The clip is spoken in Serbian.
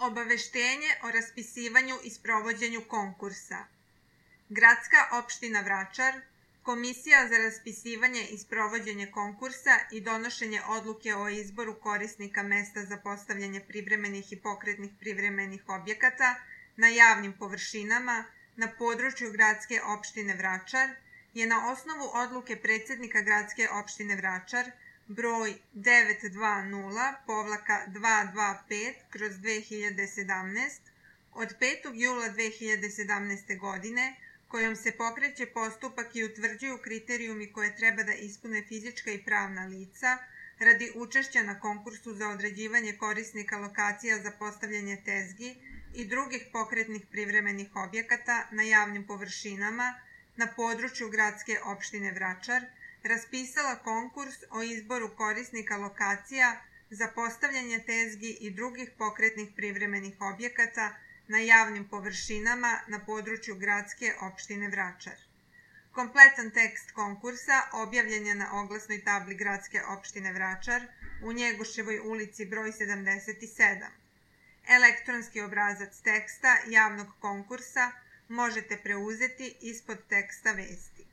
Obaveštenje o raspisivanju i sprovođenju konkursa. Gradska opština Vračar, Komisija za raspisivanje i sprovođenje konkursa i donošenje odluke o izboru korisnika mesta za postavljanje privremenih i pokretnih privremenih objekata na javnim površinama na području Gradske opštine Vračar je na osnovu odluke predsednika Gradske opštine Vračar broj 920-225/2017 od 5. jula 2017. godine, kojom se pokreće postupak i utvrđuju kriterijumi koje treba da ispune fizička i pravna lica radi učešća na konkursu za određivanje korisnika lokacija za postavljanje tezgi i drugih pokretnih privremenih objekata na javnim površinama na području Gradske opštine Vračar, raspisala konkurs o izboru korisnika lokacija za postavljanje tezgi i drugih pokretnih privremenih objekata na javnim površinama na području Gradske opštine Vračar. Kompletan tekst konkursa objavljen je na oglasnoj tabli Gradske opštine Vračar u Njegoševoj ulici broj 77. Elektronski obrazac teksta javnog konkursa možete preuzeti ispod teksta vesti.